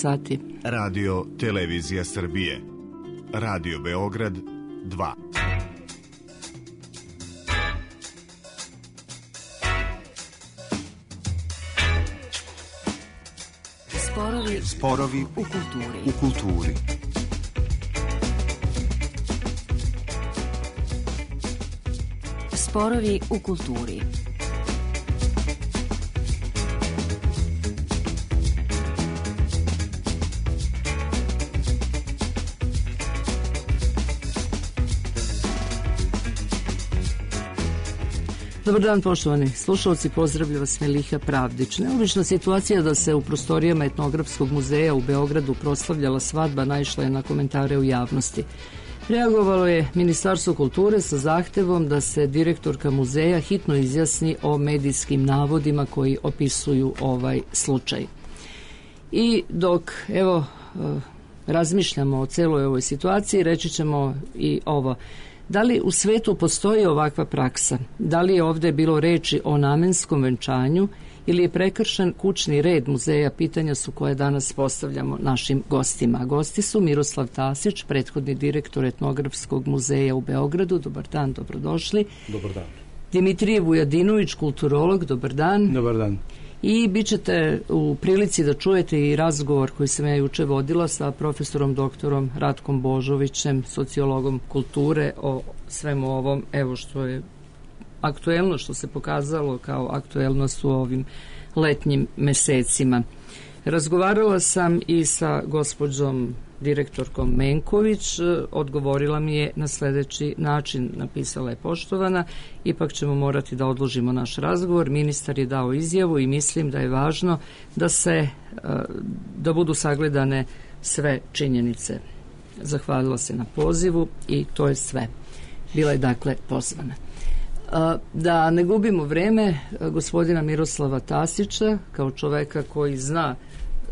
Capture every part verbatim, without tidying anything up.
sati. Radio Televizija Srbije. Radio Beograd dva. Sporovi, Sporovi u kulturi. U kulturi. Sporovi u kulturi. Dobar dan, poštovani slušalci, pozdravlja vas Meliha Pravdić. Neobična situacija da se u prostorijama Etnografskog muzeja u Beogradu proslavljala svadba naišla je na komentare u javnosti. Reagovalo je Ministarstvo kulture sa zahtevom da se direktorka muzeja hitno izjasni o medijskim navodima koji opisuju ovaj slučaj. I dok, evo, razmišljamo o celoj ovoj situaciji, reći ćemo i ovo. Da li u svetu postoji ovakva praksa? Da li je ovde bilo reči o namenskom venčanju ili je prekršen kućni red muzeja? Pitanja su koje danas postavljamo našim gostima. Gosti su Miroslav Tasić, prethodni direktor Etnografskog muzeja u Beogradu. Dobar dan, dobrodošli. Dobar dan. Dimitrije Vujadinović, kulturolog. Dobar dan. Dobar dan. I bit ćete u prilici da čujete i razgovor koji sam ja juče vodila sa profesorom doktorom Ratkom Božovićem, sociologom kulture, o svemu ovom, evo što je aktuelno, što se pokazalo kao aktuelnost u ovim letnjim mesecima. Razgovarala sam i sa gospođom direktorkom Menković, odgovorila mi je na sledeći način, napisala je: poštovana, ipak ćemo morati da odložimo naš razgovor, ministar je dao izjavu i mislim da je važno da se, da budu sagledane sve činjenice. Zahvalila se na pozivu i to je sve. Bila je dakle pozvana. Da ne gubimo vreme, gospodina Miroslava Tasića, kao čoveka koji zna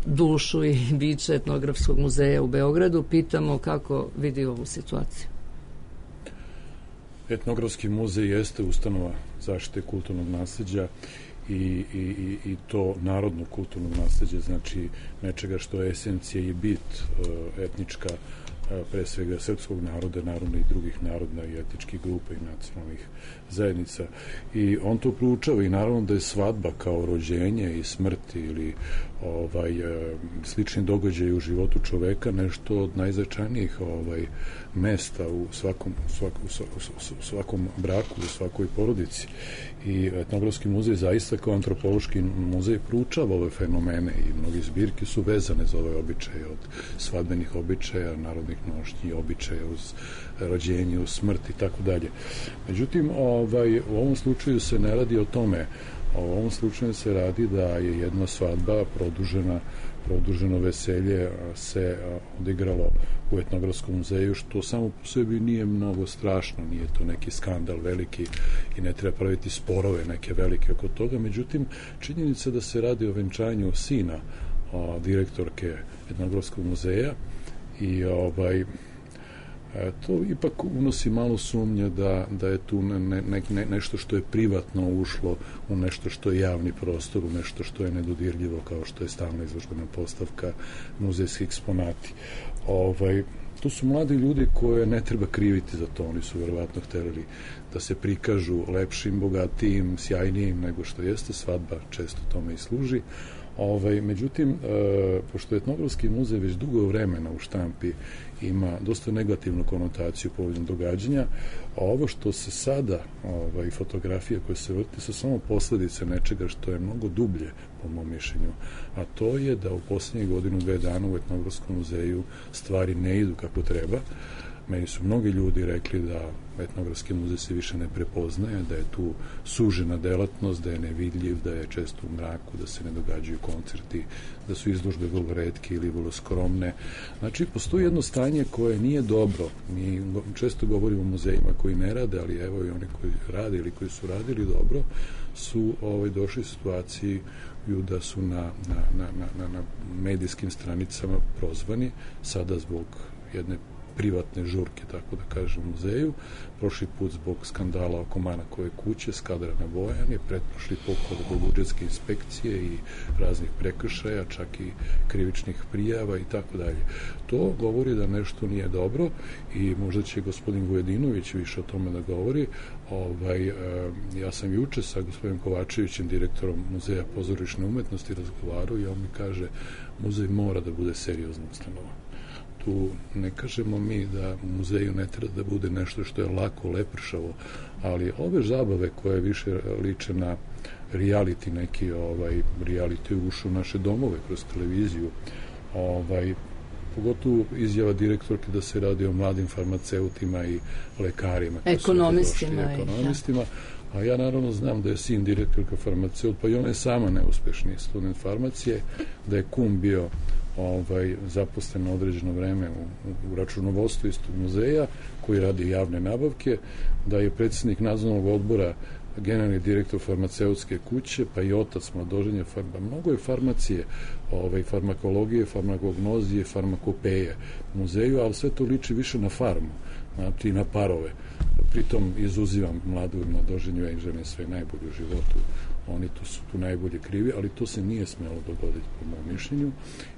dušu i biće Etnografskog muzeja u Beogradu, pitamo kako vidi ovu situaciju. Etnografski muzej jeste ustanova zaštite kulturnog nasleđa i, i, i to narodnog kulturnog nasleđa, znači nečega što je esencija i bit etnička, pre svega srpskog naroda, naravno i drugih naroda i etničkih grupa i nacionalnih zajednica. I on to proučava i naravno da je svadba kao rođenje i smrt ili ovaj, slični događaj u životu čoveka nešto od najznačajnijih ovaj, mesta u svakom, svakom, svakom braku, u svakoj porodici. I Etnografski muzej zaista kao antropološki muzej proučava ove fenomene i mnogi zbirke su vezane za ove običaje, od svadbenih običaja, narodnih nošnji, običaja uz rođenje, uz smrt i tako dalje. Međutim, ovaj, u ovom slučaju se ne radi o tome. U ovom slučaju se radi da je jedna svadba produžena, produženo veselje se odigralo u Etnografskom muzeju, što samo po sebi nije mnogo strašno, nije to neki skandal veliki i ne treba praviti sporove neke velike oko toga. Međutim, činjenica da se radi o venčanju sina o, direktorke Etnografskog muzeja i ovaj E, to ipak unosi malo sumnje da, da je tu ne, ne, ne, nešto što je privatno ušlo u nešto što je javni prostor, u nešto što je nedodirljivo, kao što je stalna izložbena postavka, muzejski eksponati. Ovaj, to su mladi ljudi koje ne treba kriviti za to, oni su verovatno hteli da se prikažu lepšim, bogatijim, sjajnijim nego što jeste, svadba često tome i služi. Ovaj, međutim, e, pošto je Etnografski muzej već dugo vremena u štampi ima dosta negativnu konotaciju povodom događanja, a ovo što se sada, ovaj, fotografije koje se vrti su samo posledice nečega što je mnogo dublje, po mom mišljenju, a to je da u posljednjih godinu, dve dana u Etnografskom muzeju stvari ne idu kako treba. Meni su mnogi ljudi rekli da Etnografski muzej se više ne prepoznaje, da je tu sužena delatnost, da je nevidljiv, da je često u mraku, da se ne događaju koncerti, da su izložbe vrlo retke ili vrlo skromne. Znači, postoji jedno stanje koje nije dobro. Mi često govorimo o muzejima koji ne rade, ali evo i oni koji rade ili koji su radili dobro, su ovaj, došli u situaciji da su na, na, na, na, na medijskim stranicama prozvani, sada zbog jedne privatne žurke, tako da kažem, u muzeju. Prošli put zbog skandala oko Manakove kuće, Skadrana Bojan je, pretprošli put zbog budžetske inspekcije i raznih prekršaja, čak i krivičnih prijava i tako dalje. To govori da nešto nije dobro i možda će gospodin Vujedinović više o tome da govori. Ovaj, ja sam juče sa gospodinom Kovačevićem, direktorom Muzeja pozorišne umetnosti, razgovarao i on mi kaže, muzej mora da bude seriozna ustanova. Tu ne kažemo mi da u muzeju ne treba da bude nešto što je lako, lepršavo, ali ove zabave koje više liče na reality, neki ovaj, reality ušu u naše domove kroz televiziju, ovaj, pogotovo izjava direktorke da se radi o mladim farmaceutima i lekarima. Ekonomistima. Došli, ekonomistima. A ja naravno znam da je sin direktorka farmaceut, pa i ona je sama neuspešni student farmacije, da je kum bio ovaj, zaposlen na određeno vreme u, u računovodstvu istog muzeja koji radi javne nabavke, da je predsjednik nadzornog odbora generalni direktor farmaceutske kuće, pa i otac mladoženja farma. Mnogo je farmacije, ovaj, farmakologije, farmakognozije, farmakopeje u muzeju, ali sve to liči više na farmu, znači na parove. Pritom izuzivam mladu mladoženju, ja im želim sve najbolje u životu, oni tu su tu najbolje krivi, ali to se nije smelo dogoditi po mom mišljenju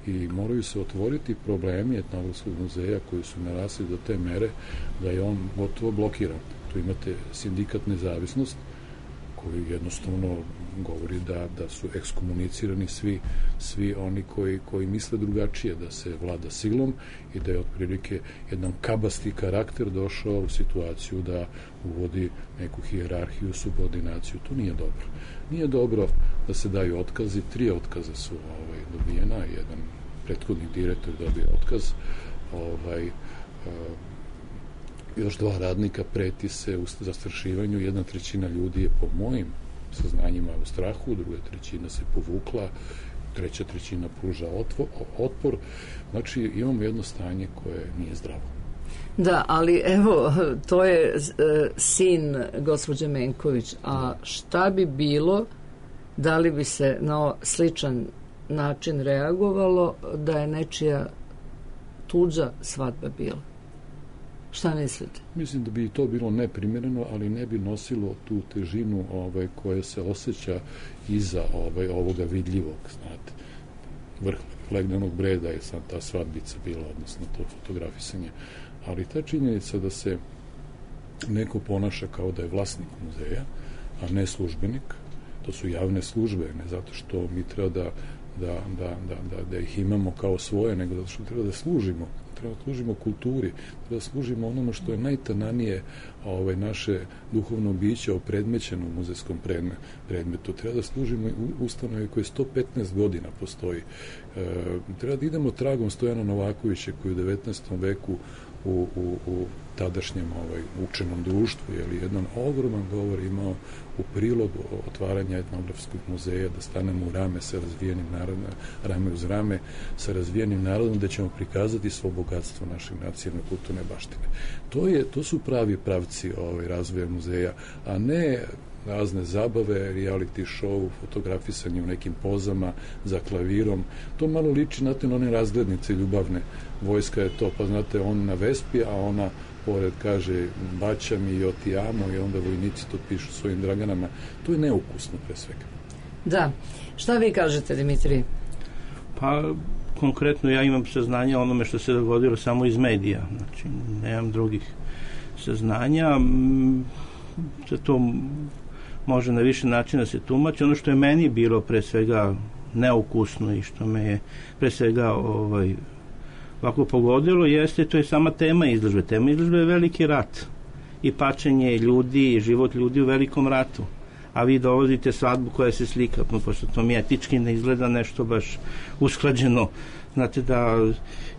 i moraju se otvoriti problemi Etnografskog muzeja koji su narasli do te mere da je on gotovo blokiran. Tu imate sindikat Nezavisnost koji jednostavno govori da, da su ekskomunicirani svi, svi oni koji, koji misle drugačije, da se vlada silom i da je otprilike jedan kabasti karakter došao u situaciju da uvodi neku hijerarhiju, subordinaciju. To nije dobro. Nije dobro da se daju otkazi. Tri otkaza su ovaj, dobijena, jedan prethodni direktor dobio otkaz, ovaj, još dva radnika preti se u zastrašivanju, jedna trećina ljudi je po mojim saznanjima u strahu, druga trećina se povukla, treća trećina pruža otvo, otpor. Znači imamo jedno stanje koje nije zdravo. Da, ali evo, to je e, sin gospođe Menković, a šta bi bilo, da li bi se na sličan način reagovalo da je nečija tuđa svadba bila? Šta mislite? Mislim da bi to bilo neprimjereno, ali ne bi nosilo tu težinu ovaj, koja se osjeća iza ovaj, ovoga vidljivog, znate. Vrh legnenog breda je sam ta svadbica bila, odnosno to fotografisanje. Ali ta činjenica da se neko ponaša kao da je vlasnik muzeja, a ne službenik, to su javne službe, ne zato što mi treba da, da, da, da, da, da ih imamo kao svoje, nego zato što treba da služimo treba da služimo kulturi, treba da služimo onome što je najtananije ovaj, naše duhovno biće opredmećeno u muzejskom predmetu. Treba da služimo ustanovi koje sto petnaest godina postoji. E, treba da idemo tragom Stojana Novakovića koji u devetnaestom veku u, u, u tadašnjem ovaj, učenom društvu, je li jedan ogroman govor imao u prilog otvaranja Etnografskog muzeja, da stanemo u rame sa razvijenim narodom, rame uz rame sa razvijenim narodom, da ćemo prikazati svo bogatstvo našeg nacionalne kulturne baštine. To, je, to su pravi pravci ovaj, razvoja muzeja, a ne razne zabave, reality show, fotografisanje u nekim pozama za klavirom. To malo liči, znate, na one razglednice ljubavne. Vojska je to, pa znate, on na Vespi, a ona pored kaže baća mi i otijamo i onda vojnici to pišu svojim draganama. To je neukusno pre svega. Da. Šta vi kažete, Dimitrij? Pa, konkretno ja imam saznanja o onome što se dogodilo samo iz medija. Znači, nemam drugih saznanja. Za to može na više načina se tumači. Ono što je meni bilo pre svega neukusno i što me je pre svega ovaj, ovako pogodilo jeste, to je sama tema izložbe. Tema izložbe je veliki rat i pačenje ljudi i život ljudi u velikom ratu. A vi dovodite svadbu koja se slika, pošto to mi etički ne izgleda nešto baš usklađeno. Znate da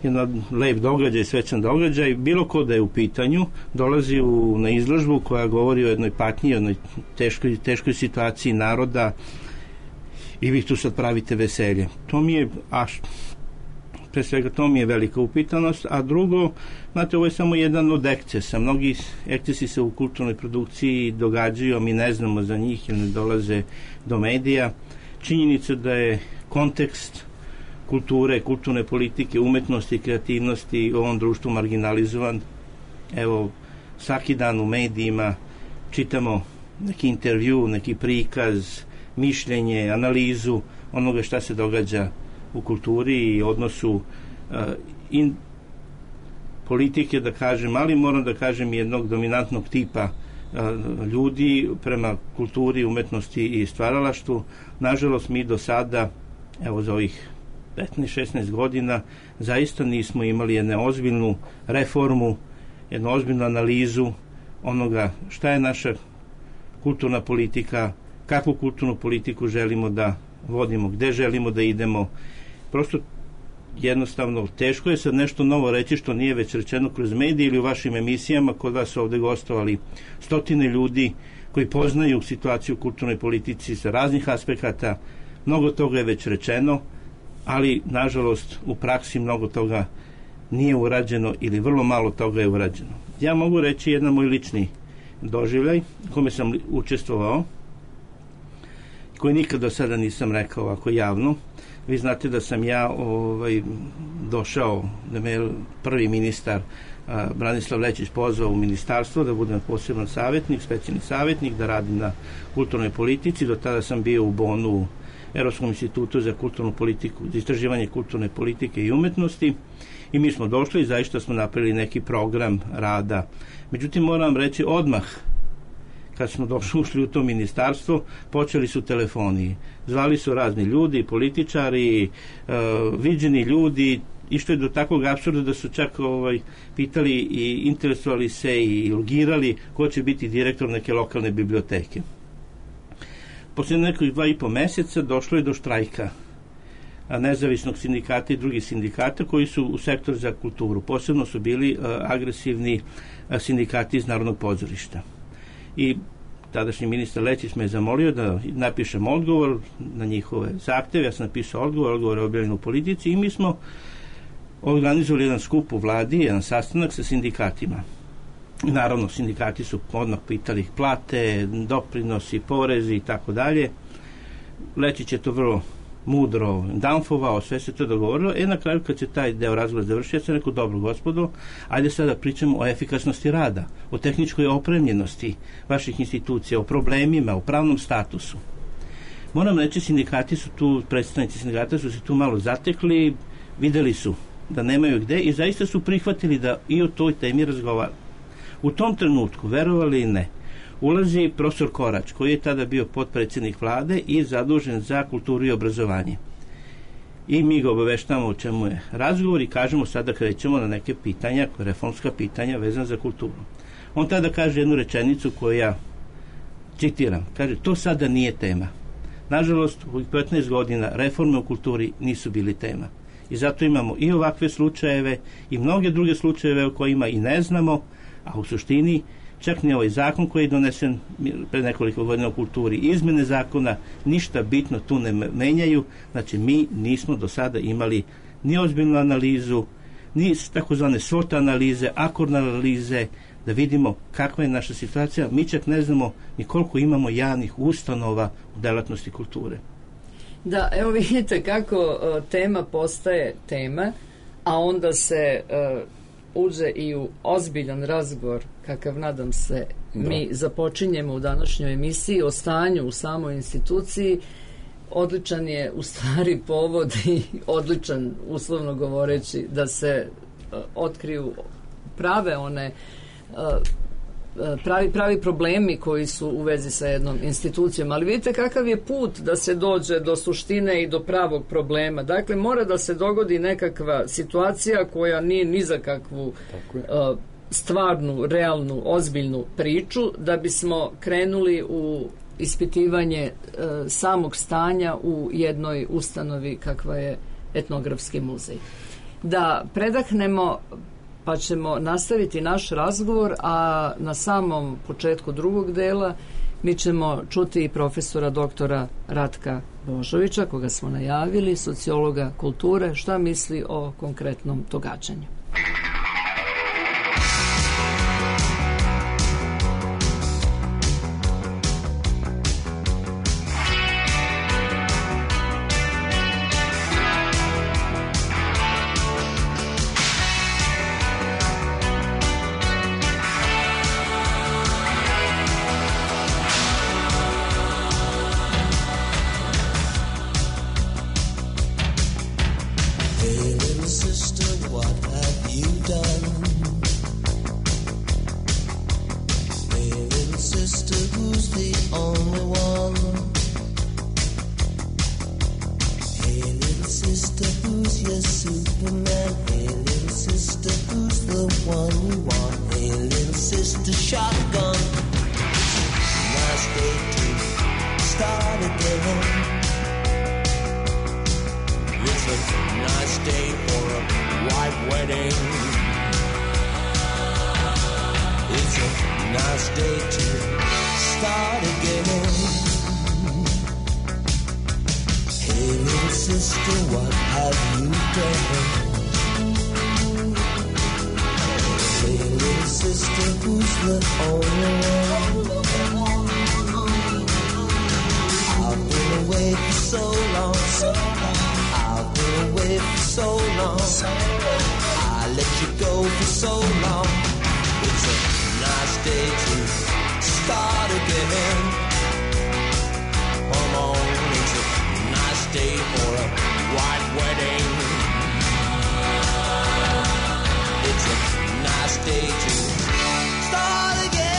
jedan lep događaj, svečan događaj, bilo ko da je u pitanju, dolazi u, na izložbu koja govori o jednoj patnji, o jednoj teškoj, teškoj situaciji naroda i vi tu sad pravite veselje. To mi je, a pre svega to mi je velika upitanost, a drugo, znate, ovo je samo jedan od ekscesa. Mnogi ekscesi se u kulturnoj produkciji događaju, a mi ne znamo za njih jer ne dolaze do medija. Činjenica da je kontekst kulture, kulturne politike, umetnosti, kreativnosti u ovom društvu marginalizovan. Evo, svaki dan u medijima čitamo neki intervju, neki prikaz, mišljenje, analizu onoga šta se događa u kulturi i odnosu uh, in politike, da kažem, ali moram da kažem jednog dominantnog tipa uh, ljudi prema kulturi, umetnosti i stvaralaštvu. Nažalost, mi do sada, evo za ovih petnaest šesnaest godina, zaista nismo imali jednu ozbiljnu reformu, jednu ozbiljnu analizu onoga šta je naša kulturna politika, kakvu kulturnu politiku želimo da vodimo, gde želimo da idemo. Prosto jednostavno teško je sad nešto novo reći što nije već rečeno kroz medije ili u vašim emisijama. Kod vas ovde gostovali stotine ljudi koji poznaju situaciju u kulturnoj politici sa raznih aspekata. Mnogo toga je već rečeno, ali nažalost u praksi mnogo toga nije urađeno ili vrlo malo toga je urađeno. Ja mogu reći jedan moj lični doživljaj kome sam učestvovao, koji nikad do sada nisam rekao ovako javno. Vi znate da sam ja ovaj, došao, da me prvi ministar a, Branislav Lečić pozvao u ministarstvo da budem poseban savjetnik, specijalni savjetnik, da radim na kulturnoj politici. Do tada sam bio u Bonu, u Evropskom institutu za kulturnu politiku, za istraživanje kulturne politike i umetnosti, i mi smo došli i zaista smo napravili neki program rada. Međutim, moram reći, odmah kad smo došli, ušli u to ministarstvo, počeli su telefoni. Zvali su razni ljudi, političari, uh, viđeni ljudi, i što je do takvog apsurda da su čak ovaj, pitali i interesovali se i logirali ko će biti direktor neke lokalne biblioteke. Poslije nekih dva i po meseca došlo je do štrajka nezavisnog sindikata i drugih sindikata koji su u sektoru za kulturu. Posebno su bili uh, agresivni uh, sindikati iz Narodnog pozorišta. I tadašnji ministar Lečić me je zamolio da napišem odgovor na njihove zahteve. Ja sam napisao odgovor, odgovor je objavljen u Politici, i mi smo organizovali jedan skup u vladi, jedan sastanak sa sindikatima. Naravno, sindikati su odmah pitali plate, doprinosi, porezi i tako dalje. Lečić je to vrlo mudro danfovao, sve se to dogovorilo. E, na kraju, kad se taj deo razgovora završio, ja sam rekao, dobro gospodo, ajde sada pričamo o efikasnosti rada, o tehničkoj opremljenosti vaših institucija, o problemima, o pravnom statusu. Moram reći, sindikati su tu, predstavnici sindikata su se tu malo zatekli, videli su da nemaju gde i zaista su prihvatili da i o toj temi razgovaraju. U tom trenutku, verovali i ne, ulazi profesor Korać, koji je tada bio potpredsjednik vlade i zadužen za kulturu i obrazovanje. I mi ga obaveštavamo o čemu je razgovor i kažemo sada krećemo na neke pitanja, reformska pitanja vezana za kulturu. On tada kaže jednu rečenicu koju ja citiram. Kaže, to sada nije tema. Nažalost, u petnaest godina reforme u kulturi nisu bili tema. I zato imamo i ovakve slučajeve i mnoge druge slučajeve o kojima i ne znamo, a u suštini čak ni ovaj zakon koji je donesen pre nekoliko godina u kulturi, izmene zakona, ništa bitno tu ne menjaju. Znači, mi nismo do sada imali ni ozbiljnu analizu, ni takozvane SWOT analize, akordne analize, da vidimo kakva je naša situacija. Mi čak ne znamo ni koliko imamo javnih ustanova u delatnosti kulture. Da, evo vidite kako uh, tema postaje tema, a onda se uh, uđe i u ozbiljan razgovor, kakav nadam se da. Mi započinjemo u današnjoj emisiji o stanju u samoj instituciji. Odličan je u stvari povod i odličan, uslovno govoreći, da se uh, otkriju prave one uh, pravi, pravi problemi koji su u vezi sa jednom institucijom, ali vidite kakav je put da se dođe do suštine i do pravog problema. Dakle, mora da se dogodi nekakva situacija koja nije ni za kakvu uh, stvarnu, realnu, ozbiljnu priču, da bismo krenuli u ispitivanje uh, samog stanja u jednoj ustanovi kakva je Etnografski muzej. Da predahnemo, pa ćemo nastaviti naš razgovor, a na samom početku drugog dela mi ćemo čuti i profesora doktora Ratka Božovića, koga smo najavili, sociologa kulture, šta misli o konkretnom događanju. what have you done? Hey little sister, who's the only one? Hey little sister, who's your Superman? Hey little sister, who's the one you want? Hey little sister, shotgun. Nice day to start again. It's a nice day for a white wedding. It's a nice day to start again. Hey little sister, what have you done? Hey little sister, who's the only one? I've been away for so long, so long. I've been away for so long. I let you go for so long. It's a nice day to start again. Come on, it's a nice day for a white wedding. It's a nice day to start again.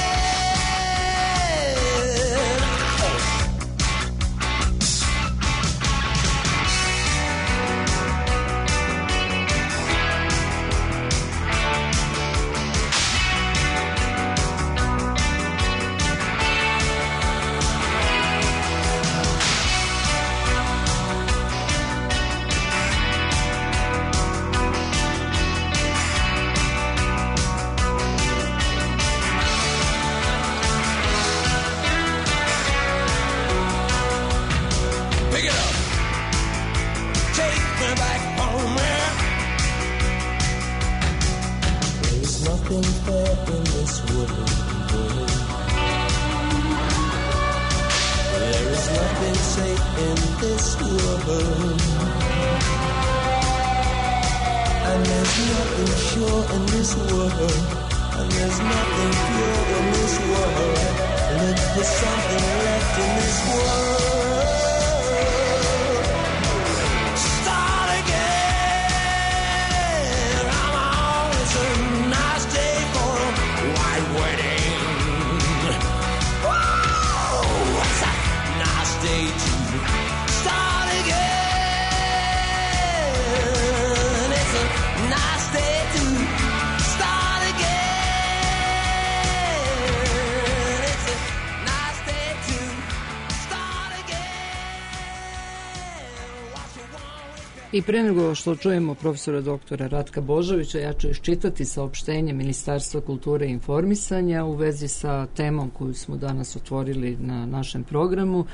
I pre nego što čujemo profesora doktora Ratka Božovića, ja ću iščitati saopštenje Ministarstva kulture i informisanja u vezi sa temom koju smo danas otvorili na našem programu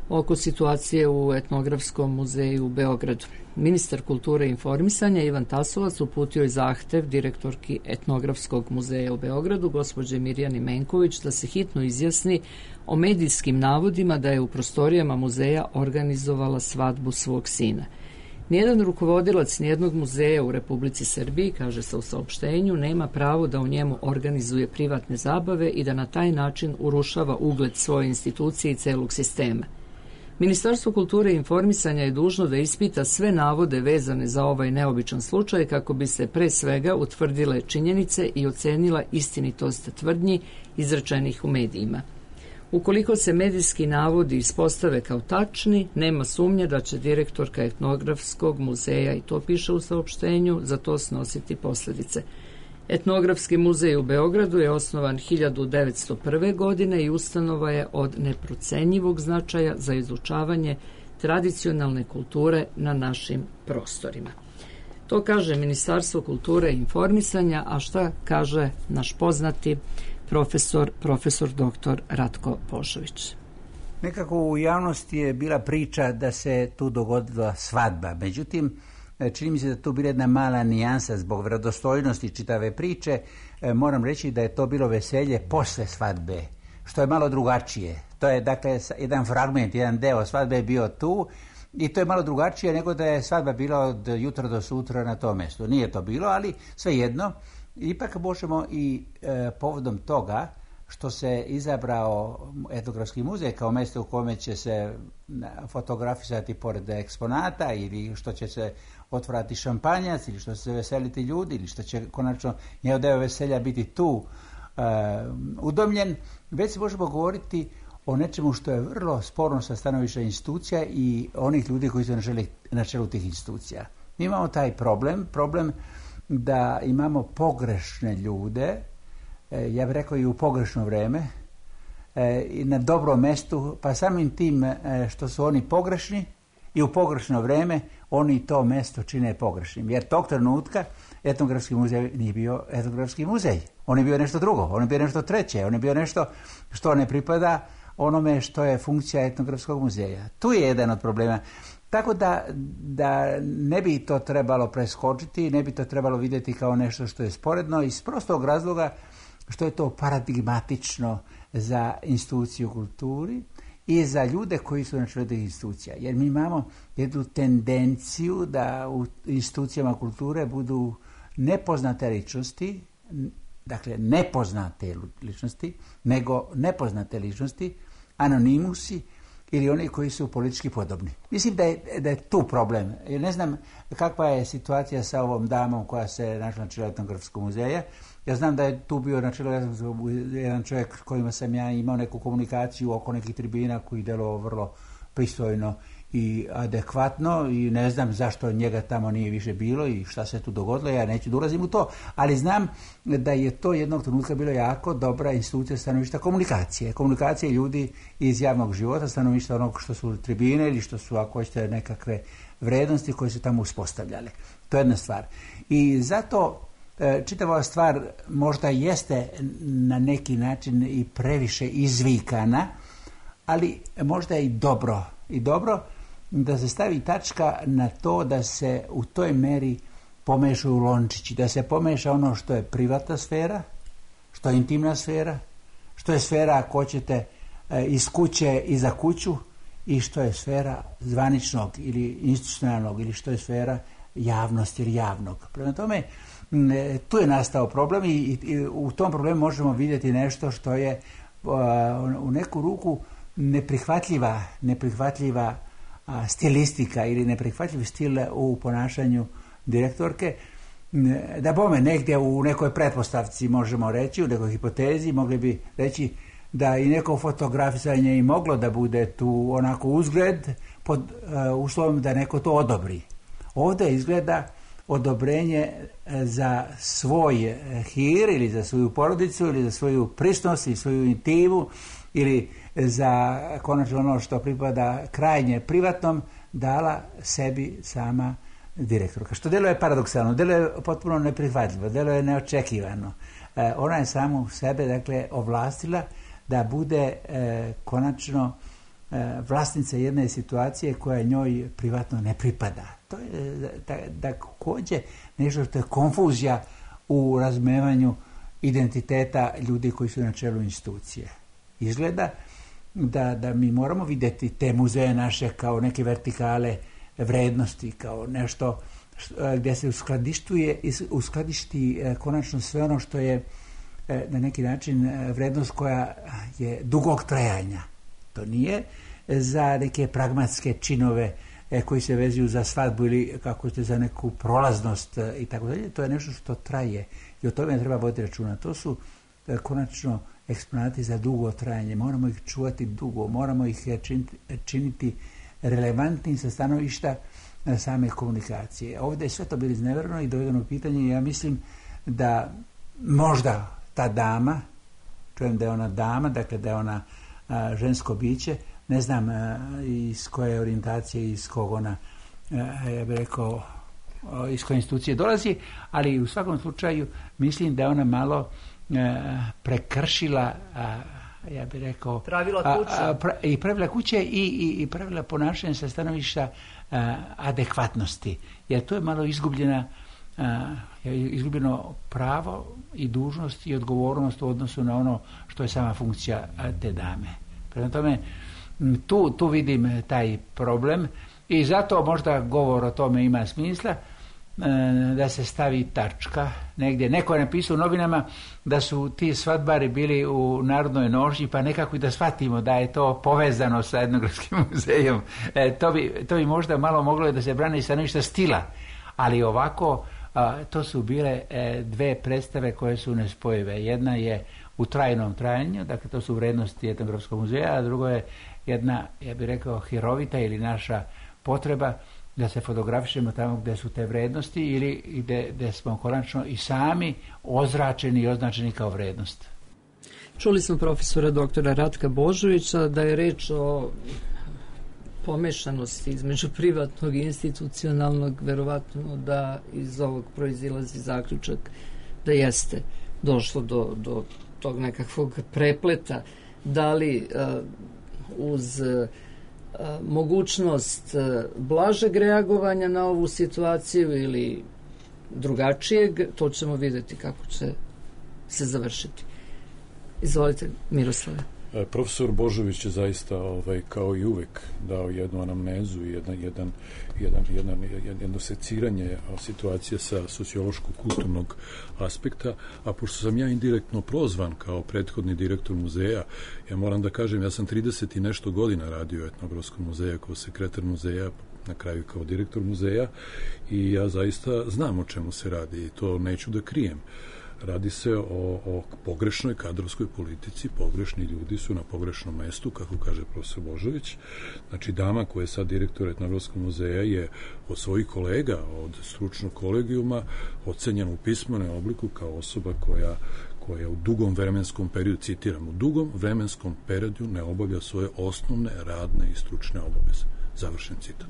oko situacije u Etnografskom muzeju u Beogradu. Ministar kulture i informisanja Ivan Tasovac uputio je zahtev direktorki Etnografskog muzeja u Beogradu, gospođe Mirjani Menković, da se hitno izjasni o medijskim navodima da je u prostorijama muzeja organizovala svadbu svog sina. Nijedan rukovodilac nijednog muzeja u Republici Srbiji, kaže se u saopštenju, nema pravo da u njemu organizuje privatne zabave i da na taj način urušava ugled svoje institucije i celog sistema. Ministarstvo kulture i informisanja je dužno da ispita sve navode vezane za ovaj neobičan slučaj kako bi se pre svega utvrdile činjenice i ocenila istinitost tvrdnji izrečenih u medijima. Ukoliko se medijski navodi ispostave kao tačni, nema sumnje da će direktorka Etnografskog muzeja, i to piše u saopštenju, za to snositi posledice. Etnografski muzej u Beogradu je osnovan hiljadu devetsto prve. godine i ustanova je od neprocenjivog značaja za izučavanje tradicionalne kulture na našim prostorima. To kaže Ministarstvo kulture i informisanja, a šta kaže naš poznati profesor, profesor doktor Ratko Božović? Nekako u javnosti je bila priča da se tu dogodila svadba. Međutim, čini mi se da tu bila jedna mala nijansa zbog vjerodostojnosti čitave priče. Moram reći da je to bilo veselje posle svadbe, što je malo drugačije. To je dakle jedan fragment, jedan deo svadbe je bio tu i to je malo drugačije nego da je svadba bila od jutra do sutra na tom mjestu. Nije to bilo, ali svejedno. Ipak možemo i e, povodom toga što se izabrao Etnografski muzej kao mjesto u kome će se fotografisati pored eksponata ili što će se otvarati šampanjac ili što će se veseliti ljudi ili što će konačno njegov deo veselja biti tu uh, udomljen, već se možemo govoriti o nečemu što je vrlo sporno sa stanovišta institucija i onih ljudi koji su na, želi, na čelu tih institucija. Mi imamo taj problem, problem da imamo pogrešne ljude, e, ja bih rekao i u pogrešno vreme, e, i na dobrom mestu, pa samim tim e, što su oni pogrešni i u pogrešno vreme, oni to mesto čine pogrešnim. Jer tog trenutka etnografski muzej nije bio etnografski muzej. On je bio nešto drugo, on je bio nešto treće, on je bio nešto što ne pripada onome što je funkcija etnografskog muzeja. Tu je jedan od problema. Tako da, da ne bi to trebalo preskočiti, ne bi to trebalo vidjeti kao nešto što je sporedno iz prostog razloga što je to paradigmatično za instituciju kulturi i za ljude koji su na čelu tih institucija. Jer mi imamo jednu tendenciju da u institucijama kulture budu nepoznate ličnosti, dakle nepoznate ličnosti, nego nepoznate ličnosti, anonimusi ili oni koji su politički podobni. Mislim da je, da je tu problem. Jer ne znam kakva je situacija sa ovom damom koja se našla na čelu etnografskog muzeja. Ja znam da je tu bio na čelu jedan čovjek s kojima sam ja imao neku komunikaciju oko nekih tribina koji delovao vrlo pristojno i adekvatno i ne znam zašto njega tamo nije više bilo i šta se tu dogodilo, ja neću da ulazim u to, ali znam da je to jednog trenutka bilo jako dobra institucija stanovišta komunikacije. Komunikacije ljudi iz javnog života, stanovišta onog što su tribine ili što su, ako hoćete, nekakve vrednosti koje su tamo uspostavljale. To je jedna stvar. I zato čitava stvar možda jeste na neki način i previše izvikana, ali možda i dobro. I dobro da se stavi tačka na to da se u toj meri pomešaju lončići, da se pomeša ono što je privatna sfera, što je intimna sfera, što je sfera, ako hoćete, iz kuće i za kuću i što je sfera zvaničnog ili institucionalnog ili što je sfera javnosti ili javnog. Prema tome, tu je nastao problem i, i u tom problemu možemo vidjeti nešto što je u neku ruku neprihvatljiva, neprihvatljiva a, stilistika ili neprihvatljiv stil u ponašanju direktorke. Da bome negdje u nekoj pretpostavci možemo reći, u nekoj hipotezi mogli bi reći da i neko fotografisanje i moglo da bude tu onako uzgled pod uh, uslovom da neko to odobri. Ovdje izgleda odobrenje za svoj hir ili za svoju porodicu ili za svoju prisnost i svoju intimu ili za konačno ono što pripada krajnje privatnom dala sebi sama direktorka. Što djeluje paradoksalno, djeluje potpuno neprihvatljivo, djeluje neočekivano. E, ona je samu sebe, dakle, ovlastila da bude e, konačno e, vlasnica jedne situacije koja njoj privatno ne pripada. To je također nešto što je konfuzija u razumijevanju identiteta ljudi koji su na čelu institucije. Izgleda da, da mi moramo vidjeti te muzeje naše kao neke vertikale vrednosti, kao nešto što, gdje se uskladištuje, uskladišti konačno sve ono što je na neki način vrednost koja je dugog trajanja. To nije za neke pragmatske činove koji se vezuju za svadbu ili kako ste za neku prolaznost i tako dalje. To je nešto što traje i o tome treba voditi računa. To su konačno eksponati za dugo trajanje. Moramo ih čuvati dugo, moramo ih činiti, činiti relevantnim sa stanovišta same komunikacije. Ovdje je sve to bilo iznevereno i dovedeno u pitanje. Ja mislim da možda ta dama, čujem da je ona dama, dakle da je ona a, žensko biće, ne znam a, iz koje orijentacije, iz kog ona, a, ja bih rekao, a, iz koje institucije dolazi, ali u svakom slučaju mislim da je ona malo a, prekršila, a, ja bih rekao, pravila kuće. A, a, pra, i pravila kuće i, i, i pravila ponašanja sa stanovišta a, adekvatnosti, jer to je malo izgubljena a, izgubljeno pravo i dužnost i odgovornost u odnosu na ono što je sama funkcija te dame. Prema tome, tu, tu vidim taj problem i zato možda govor o tome ima smisla, da se stavi tačka negdje. Neko je napisao u novinama da su ti svadbari bili u Narodnoj nošnji, pa nekako i da shvatimo da je to povezano sa etnografskim muzejom. E, to, bi, to bi možda malo moglo da se brani sa nešto stila. Ali ovako, a, to su bile e, dve predstave koje su nespojive. Jedna je u trajnom trajanju, dakle to su vrednosti Etnografskog muzeja, a drugo je jedna, ja bih rekao, hirovita ili naša potreba da se fotografišemo tamo gdje su te vrednosti ili gdje, gdje smo konačno i sami ozračeni i označeni kao vrednost. Čuli smo profesora doktora Ratka Božovića da je reč o pomešanosti između privatnog i institucionalnog, verovatno da iz ovog proizilazi zaključak da jeste došlo do, do tog nekakvog prepleta, da li uh, uz uh, mogućnost uh, blažeg reagovanja na ovu situaciju ili drugačijeg, to ćemo vidjeti kako će se završiti. Izvolite, Miroslave. Profesor Božović je zaista ovaj, kao i uvek dao jednu anamnezu i jedan, jedan, jedan, jedan, jedno seciranje situacije sa sociološko-kulturnog aspekta, a pošto sam ja indirektno prozvan kao prethodni direktor muzeja, ja moram da kažem, ja sam trideset i nešto godina radio u Etnografskom muzeju kao sekretar muzeja, na kraju kao direktor muzeja, i ja zaista znam o čemu se radi i to neću da krijem. Radi se o, o pogrešnoj kadrovskoj politici, pogrešni ljudi su na pogrešnom mestu, kako kaže profesor Božović. Znači, dama koja je sad direktor Etnografskog muzeja je od svojih kolega, od stručnog kolegijuma, ocenjena u pismenom obliku kao osoba koja koja u dugom vremenskom periodu, citiram, u dugom vremenskom periodu ne obavlja svoje osnovne, radne i stručne obaveze. Završen citat.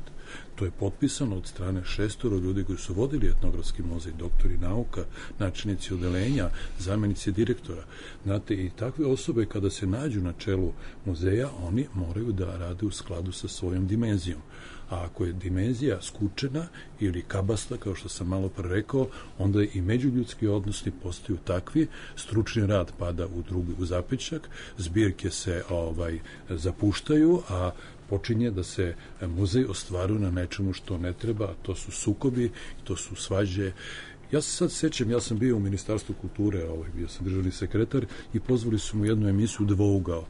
To je potpisano od strane šestoro ljudi koji su vodili Etnografski muzej, doktori nauka, načelnici odelenja, zamenici direktora. Znate, i takve osobe kada se nađu na čelu muzeja, oni moraju da rade u skladu sa svojom dimenzijom. A ako je dimenzija skučena ili kabasta, kao što sam malo pre rekao, onda i međuljudski odnosi postaju takvi, stručni rad pada u drugi u zapećak, zbirke se ovaj zapuštaju, a počinje da se muzej ostvaruje na nečemu što ne treba, a to su sukobi, to su svađe. Ja se sad sećam, ja sam bio u Ministarstvu kulture, ovaj, bio sam državni sekretar i pozvali su mu jednu emisiju Dvougao.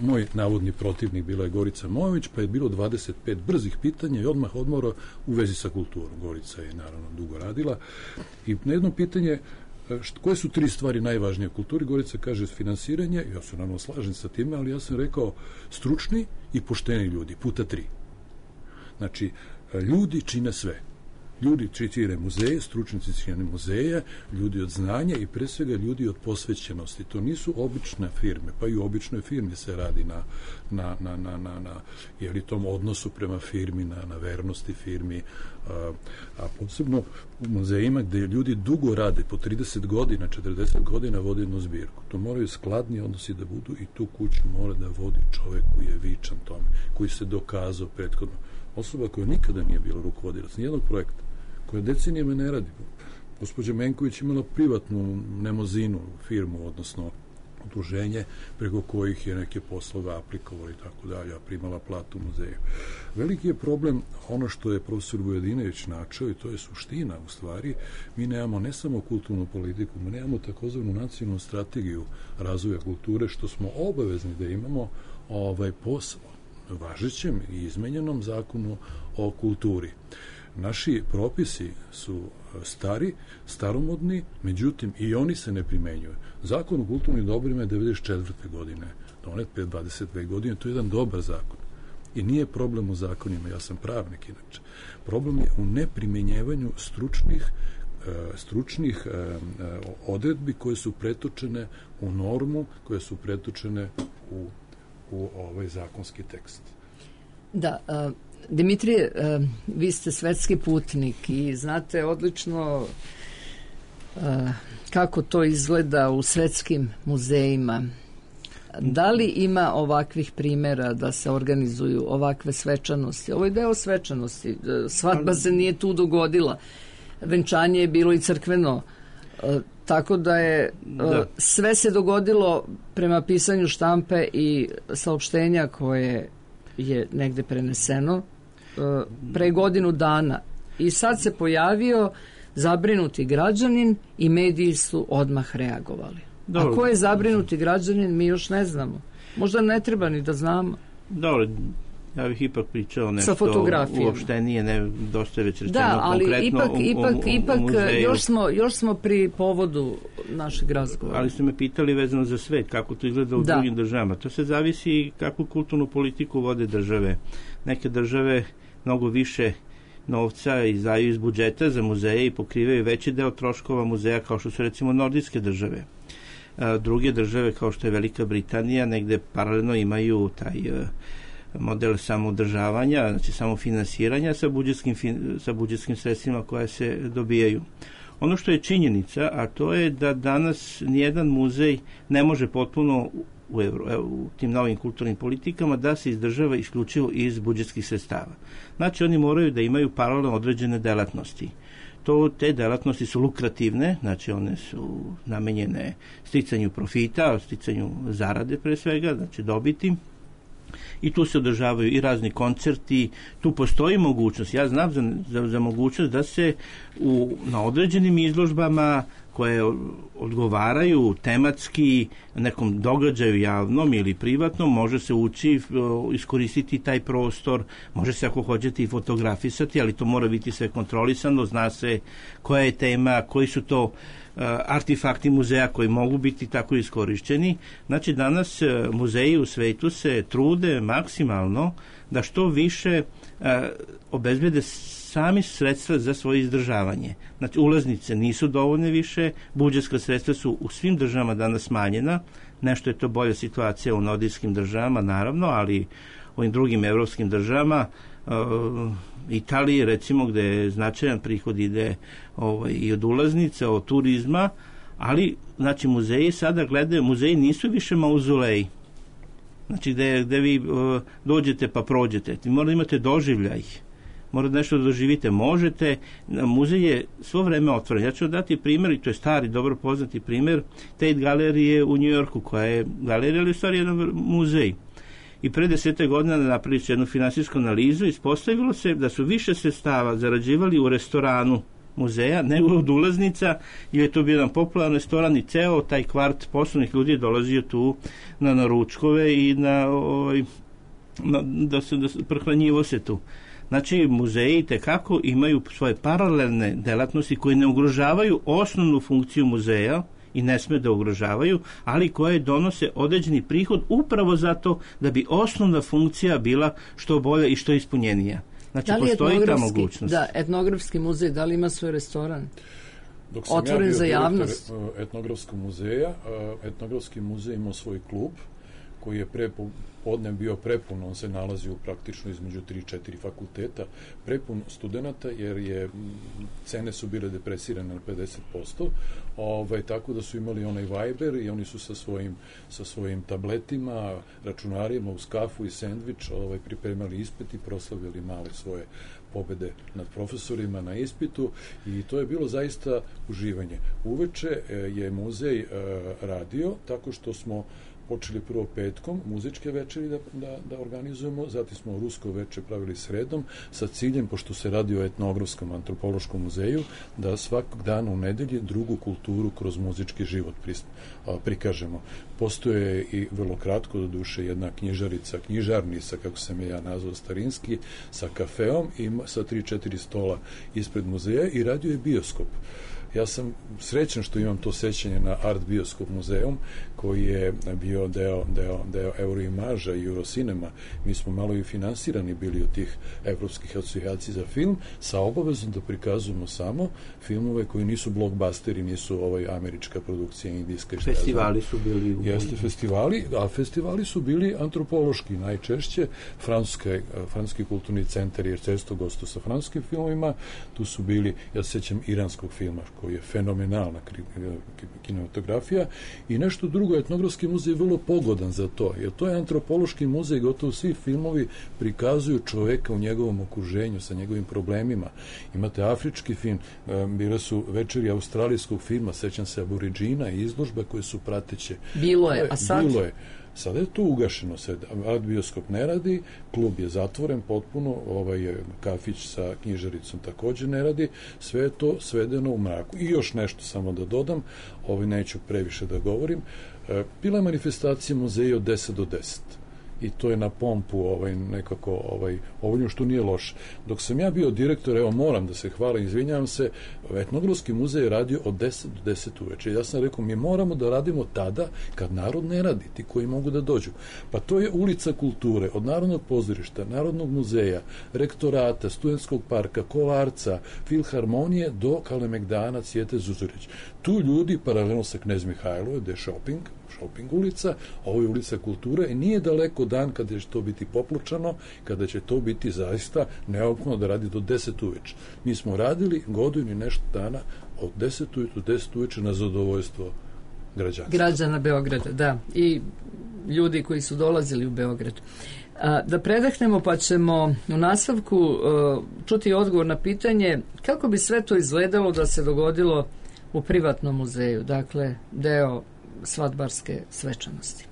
Moj navodni protivnik bila je Gorica Mojović, pa je bilo dvadeset pet brzih pitanja i odmah odmora u vezi sa kulturom. Gorica je naravno dugo radila i na jedno pitanje Što, koje su tri stvari najvažnije u kulturi? Gorica kaže finansiranje, ja se naravno slažem sa time, ali ja sam rekao stručni i pošteni ljudi, puta tri. Znači, ljudi čine sve. Ljudi čine muzeje, stručnici čine muzeje, ljudi od znanja i pre svega ljudi od posvećenosti. To nisu obične firme, pa i u običnoj firmi se radi na, na, na, na, na, na jeli tom odnosu prema firmi, na, na vernosti firmi, a, a posebno u muzejima gde ljudi dugo rade, po trideset godina, četrdeset godina vode jednu zbirku. To moraju skladni odnosi da budu i tu kuću mora da vodi čovek koji je vičan tome, koji se dokazao prethodno. Osoba koja nikada nije bila rukovodilac nijednog projekta, koja decenijama ne radi. Gospođa Menković imala privatnu nemozinu firmu, odnosno udruženje preko kojih je neke poslove aplikovali i tako dalje, a primala platu u muzeju. Veliki je problem ono što je profesor Vujadinović načeo i to je suština u stvari. Mi nemamo ne samo kulturnu politiku, mi nemamo takozvanu nacionalnu strategiju razvoja kulture, što smo obavezni da imamo ovaj posao važećem i izmenjenom zakonu o kulturi. Naši propisi su stari, staromodni, međutim i oni se ne primenjuju. Zakon o kulturnim dobrima je devedeset četvrte godine, donet pre dvadeset dve godine, to je jedan dobar zakon. I nije problem u zakonima, ja sam pravnik inače. Problem je u neprimenjevanju stručnih stručnih odredbi koje su pretočene u normu, koje su pretočene u, u ovaj zakonski tekst. Da, uh... Dimitrije, vi ste svetski putnik i znate odlično kako to izgleda u svetskim muzejima. Da li ima ovakvih primjera da se organizuju ovakve svečanosti? Ovo je deo svečanosti. Svadba se nije tu dogodila. Venčanje je bilo i crkveno. Tako da je da. Sve se dogodilo prema pisanju štampe i saopštenja koje je negde preneseno pre godinu dana. I sad se pojavio zabrinuti građanin i mediji su odmah reagovali. Dobro. A ko je zabrinuti građanin, mi još ne znamo. Možda ne treba ni da znamo. Dobro, Ja bih ipak pričao nešto uopštenije, ne, dosta je već rečeno da, ali konkretno ipak, u, u, ipak, u, u ipak muzeju. Još smo, još smo pri povodu našeg razgovora. Ali ste me pitali vezano za svet, kako to izgleda u da. drugim državama. To se zavisi kakvu kulturnu politiku vode države. Neke države mnogo više novca izdaju iz budžeta za muzeje i pokrivaju veći deo troškova muzeja, kao što su recimo nordijske države. A, druge države, kao što je Velika Britanija, negde paralelno imaju taj a, model samoodržavanja, znači samofinansiranja sa budžetskim, sa budžetskim sredstvima koja se dobijaju. Ono što je činjenica, a to je da danas nijedan muzej ne može potpuno u, Euro, u tim novim kulturnim politikama da se izdržava isključivo iz budžetskih sredstava. Znači oni moraju da imaju paralelno određene delatnosti. To, te delatnosti su lukrativne, znači one su namenjene sticanju profita, sticanju zarade pre svega, znači dobiti. I tu se održavaju i razni koncerti, tu postoji mogućnost, ja znam za, za, za mogućnost da se u, na određenim izložbama koje odgovaraju tematski nekom događaju javnom ili privatnom, može se ući, iskoristiti taj prostor, može se ako hoćete i fotografisati, ali to mora biti sve kontrolisano, zna se koja je tema, koji su to artefakti muzeja koji mogu biti tako iskorišćeni. Znači danas muzeji u svetu se trude maksimalno da što više a, obezbede sami sredstva za svoje izdržavanje. Znači ulaznice nisu dovoljne više, budžetska sredstva su u svim državama danas smanjena, nešto je to bolja situacija u nordijskim državama naravno, ali u ovim drugim evropskim državama, uh, Italiji recimo, gde je značajan prihod ide ovaj, i od ulaznica, od turizma, ali znači muzeji sada gledaju, muzeji nisu više mauzoleji, znači gde, gde vi uh, dođete pa prođete, vi morate imate doživljaj, morate nešto da doživite, možete, muzej je svo vreme otvoren. Ja ću dati primjer, i to je stari, dobro poznati primjer, Tate galerije u Njujorku, koja je galerija, ali u stvari jedan muzej. I pre desete godina napravili su jednu finansijsku analizu, ispostavilo se da su više sredstava zarađivali u restoranu muzeja nego od ulaznica, jer je to bio jedan popularan restoran i ceo taj kvart poslovnih ljudi je dolazio tu na naručkove i na, ovaj, na da se da prehranjivo se tu. Znači, muzeji tekako imaju svoje paralelne delatnosti koje ne ugrožavaju osnovnu funkciju muzeja i ne sme da ugrožavaju, ali koje donose određeni prihod upravo zato da bi osnovna funkcija bila što bolja i što ispunjenija. Znači, postoji ta mogućnost. Da, etnografski muzej, da li ima svoj restoran? Dok sam otvoren ja bio za javnost? Etnografskog muzeja, etnografski muzej imao svoj klub koji je pre podne bio prepun, on se nalazi u praktično između tri četiri fakulteta, prepun studenta, jer je cene su bile depresirane na pedeset posto, ovaj, tako da su imali onaj Viber i oni su sa svojim, sa svojim tabletima, računarima uz kafu i sendvič ovaj, pripremali ispit i proslavili male svoje pobede nad profesorima na ispitu i to je bilo zaista uživanje. Uveče je muzej radio tako što smo počeli prvo petkom, muzičke večeri da, da, da organizujemo, zatim smo rusko veče pravili sredom, sa ciljem, pošto se radi o etnografskom antropološkom muzeju, da svakog dana u nedelji drugu kulturu kroz muzički život prikažemo. Postoje i vrlo kratko, do duše, jedna knjižarica, knjižarnica, kako sam je ja nazvao starinski, sa kafeom i sa tri četiri stola ispred muzeja i radio je bioskop. Ja sam srećan što imam to sećanje na Art Bioskop muzeum, koji je bio deo, deo, deo Euroimaža i Eurocinema. Mi smo malo i finansirani bili od tih evropskih asocijacija za film, sa obavezom da prikazujemo samo filmove koji nisu blockbusteri, nisu ovaj američka produkcija, indijska. Festivali su bili u... Jeste festivali, a festivali su bili antropološki, najčešće francuske, francuski kulturni centar, jer često gostu sa francuskim filmovima, tu su bili, ja se sećam iranskog filma, koji je fenomenalna kinematografija i nešto drugo, etnografski muzej je vrlo pogodan za to, jer to je antropološki muzej, gotovo svi filmovi prikazuju čoveka u njegovom okruženju, sa njegovim problemima. Imate afrički film, bile su večeri australijskog filma, sećam se Aboriđina i izložbe koje su prateće. Bilo je, a sad? Bilo je. Sada je to ugašeno, sad Art Bioskop ne radi, klub je zatvoren potpuno, ovaj je kafić sa knjižaricom također ne radi, sve je to svedeno u mraku. I još nešto samo da dodam, ovaj neću previše da govorim, bila je manifestacija muzeja od deset do deset. i to je na pompu ovaj, nekako ovaj, ovo što nije loše. Dok sam ja bio direktor, evo moram da se hvalim, izvinjavam se, Etnografski muzej je radio od deset do deset uveče. Ja sam rekao, mi moramo da radimo tada kad narod ne radi, ti koji mogu da dođu. Pa to je ulica kulture, od Narodnog pozorišta, Narodnog muzeja, rektorata, Studentskog parka, Kolarca, Filharmonije do Kalemegdana, Cvijete Zuzorić. Tu ljudi, paralelno sa Knez Mihajlove, gde je shopping, shopping ulica, ovo je ulica kulture i nije daleko dan kada će to biti poplučano, kada će to biti zaista neophodno da radi do deset uveče. Mi smo radili godinu i nešto dana od deset uveče do deset uveče na zadovoljstvo građana. Građana Beograda, da. I ljudi koji su dolazili u Beograd. A, da predahnemo pa ćemo u nastavku uh, čuti odgovor na pitanje kako bi sve to izgledalo da se dogodilo u privatnom muzeju, dakle deo svadbarske svečanosti.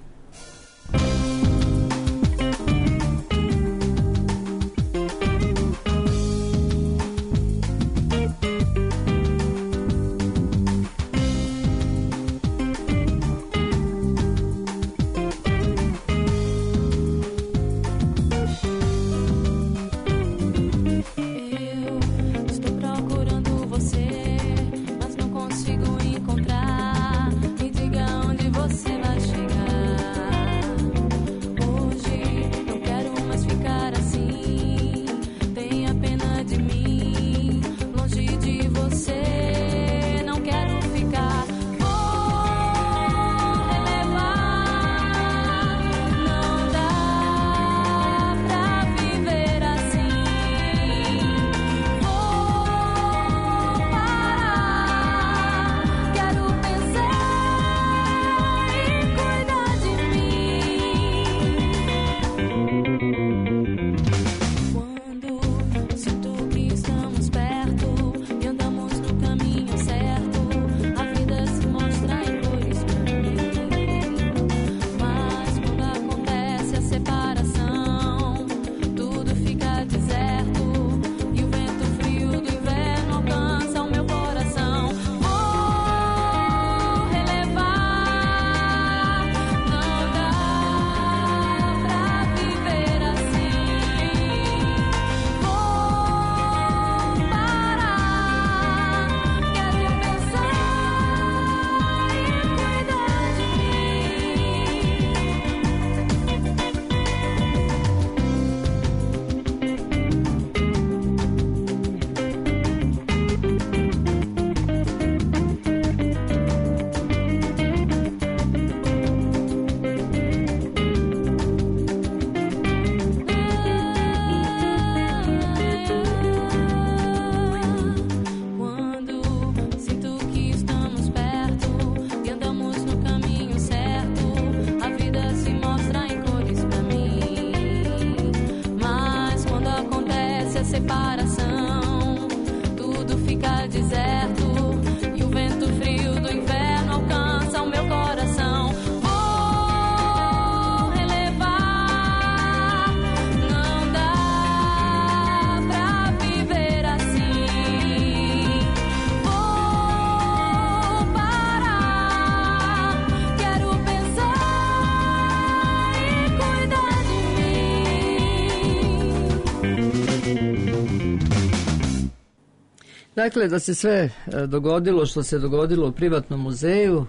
Dakle, da se sve dogodilo što se dogodilo u privatnom muzeju,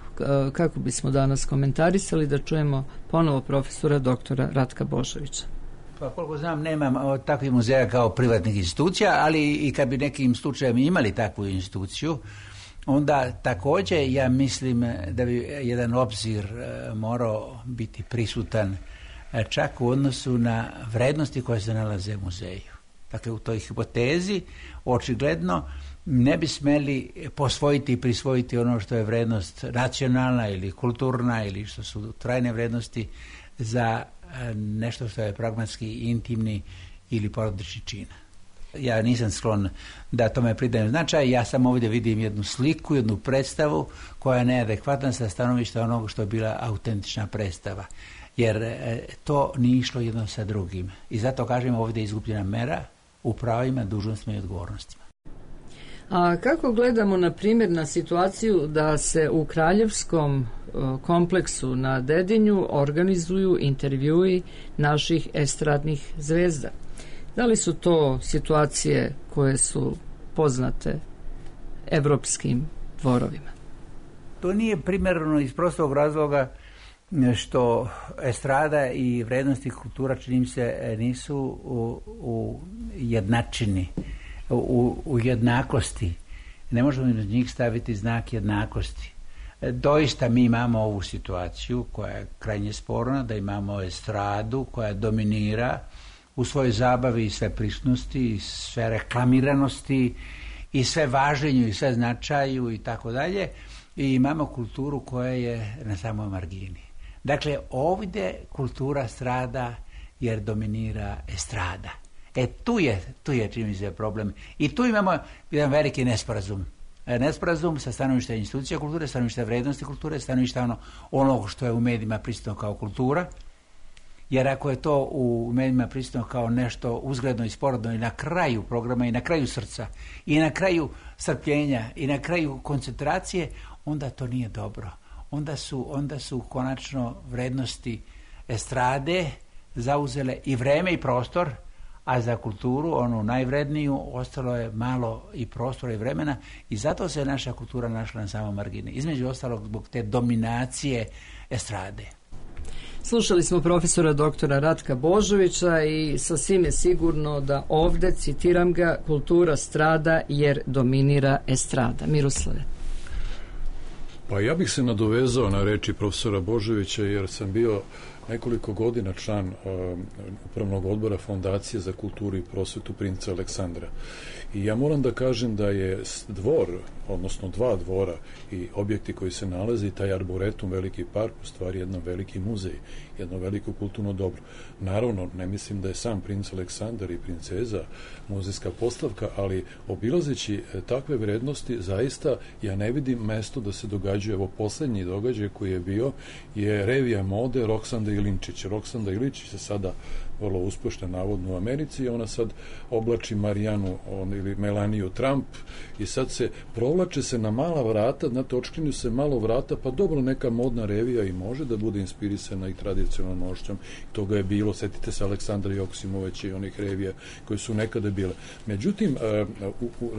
kako bismo danas komentarisali, da čujemo ponovo profesora doktora Ratka Božovića. Pa koliko znam, nemam takvih muzeja kao privatnih institucija, ali i kad bi nekim slučajem imali takvu instituciju, onda također ja mislim da bi jedan obzir morao biti prisutan čak u odnosu na vrednosti koje se nalaze u muzeju. Dakle, u toj hipotezi očigledno ne bi smeli posvojiti i prisvojiti ono što je vrednost nacionalna ili kulturna ili što su trajne vrednosti za nešto što je pragmatski intimni ili porodični čin. Ja nisam sklon da tome pridajem značaj, ja samo ovdje vidim jednu sliku, jednu predstavu koja je neadekvatna sa stanovišta onog što je bila autentična predstava. Jer to nije išlo jedno sa drugim. I zato kažemo ovdje je izgubljena mera u pravima, dužnostima i odgovornostima. A kako gledamo, na primjer, na situaciju da se u Kraljevskom kompleksu na Dedinju organizuju intervjui naših estradnih zvezda? Da li su to situacije koje su poznate evropskim dvorovima? To nije primjerno iz prostog razloga što estrada i vrednosti kultura, čini mi se, nisu u, u jednačini, u, u jednakosti. Ne možemo na njih staviti znak jednakosti. Doista mi imamo ovu situaciju koja je krajnje sporna, da imamo estradu koja dominira u svojoj zabavi i sve prisutnosti i sve reklamiranosti i sve važenju i sve značaju i tako dalje, i imamo kulturu koja je na samoj margini. Dakle, ovdje kultura strada jer dominira estrada. E tu je, tu je čini mi se problem. I tu imamo jedan veliki nesporazum. Nesporazum sa stanovišta institucija kulture, stanovišta vrednosti kulture, stanovišta ono, onog što je u medijima prisutno kao kultura. Jer ako je to u medijima prisutno kao nešto uzgledno i sporedno i na kraju programa i na kraju srca i na kraju strpljenja i na kraju koncentracije, onda to nije dobro. Onda su, onda su konačno vrednosti estrade zauzele i vreme i prostor, a za kulturu, onu najvredniju, ostalo je malo i prostora i vremena, i zato se naša kultura našla na samom margini. Između ostalog zbog te dominacije estrade. Slušali smo profesora doktora Ratka Božovića i sasvim je sigurno da ovde, citiram ga, kultura strada jer dominira estrada. Miroslave. Pa ja bih se nadovezao na reči profesora Božovića, jer sam bio nekoliko godina član uh, upravnog odbora Fondacije za kulturu i prosvetu princa Aleksandra. I ja moram da kažem da je dvor, odnosno dva dvora i objekti koji se nalaze, i taj arboretum, veliki park, u stvari jedan veliki muzej, jedno veliko kulturno dobro. Naravno, ne mislim da je sam princ Aleksandar i princeza muzejska postavka, ali obilazeći takve vrednosti, zaista ja ne vidim mesto da se događaju. Evo, poslednji događaj koji je bio je revija mode Roksanda Ilinčić. Roksanda Ilinčić se sada vrlo uspešna navodno u Americi i ona sad oblači Marijanu on, ili Melaniju Trump i sad se provlače se na mala vrata, znate, očkrinju se malo vrata, pa dobro, neka modna revija i može da bude inspirisana i tradicionalnom nošćom. Toga je bilo, setite se Aleksandra Joksimovića i onih revija koje su nekada bile. Međutim, u, u,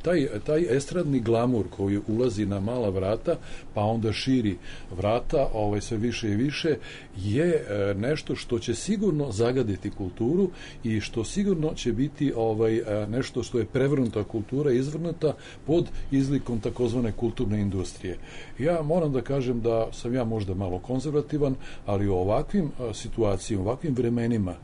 taj, taj estradni glamur koji ulazi na mala vrata, pa onda širi vrata, ovaj, sve više i više, je nešto što će sigurno zagaditi kulturu i što sigurno će biti ovaj nešto što je prevrnuta kultura, izvrnuta pod izlikom takozvane kulturne industrije. Ja moram da kažem da sam ja možda malo konzervativan, ali u ovakvim situacijama, u ovakvim vremenima,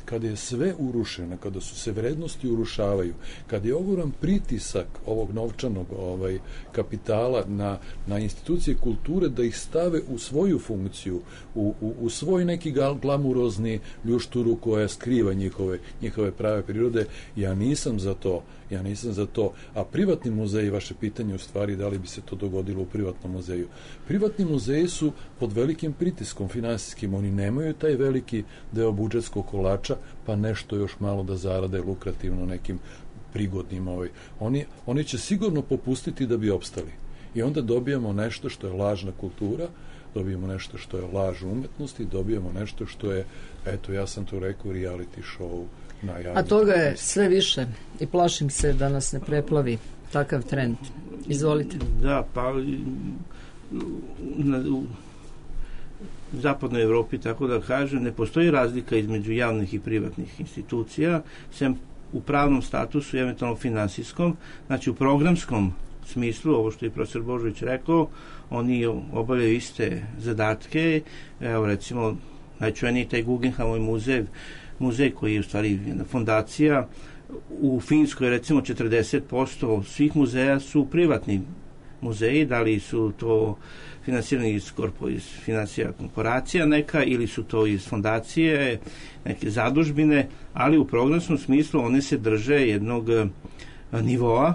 kada je sve urušeno, kada su se vrednosti urušavaju, kada je ogroman pritisak ovog novčanog ovaj, kapitala na, na institucije kulture da ih stave u svoju funkciju, u, u, u svoj neki glamurozni ljušturu koja skriva njihove, njihove prave prirode, ja nisam za to. Ja nisam za to. A privatni muzeji, vaše pitanje u stvari, da li bi se to dogodilo u privatnom muzeju? Privatni muzeji su pod velikim pritiskom finansijskim. Oni nemaju taj veliki deo budžetskog kolača, pa nešto još malo da zarade lukrativno nekim prigodnim. Ovaj. Oni, oni će sigurno popustiti da bi opstali. I onda dobijamo nešto što je lažna kultura, dobijemo nešto što je laž umetnosti, dobijemo nešto što je, eto, ja sam to rekao, reality show. A toga je sve više i plašim se da nas ne preplavi takav trend. Izvolite. Da, pa na, u zapadnoj Evropi, tako da kažem, ne postoji razlika između javnih i privatnih institucija, sem u pravnom statusu i eventualno finansijskom. Znači, u programskom smislu, ovo što je profesor Božović rekao, oni obavljaju iste zadatke. Evo, recimo, najčuveniji taj Guggenheimov muzej, muzej koji je u stvari jedna fondacija. U Finskoj, recimo, četrdeset posto svih muzeja su privatni muzeji, da li su to finansirani iz, korpo, iz financija korporacija neka, ili su to iz fondacije, neke zadužbine, ali u programskom smislu one se drže jednog nivoa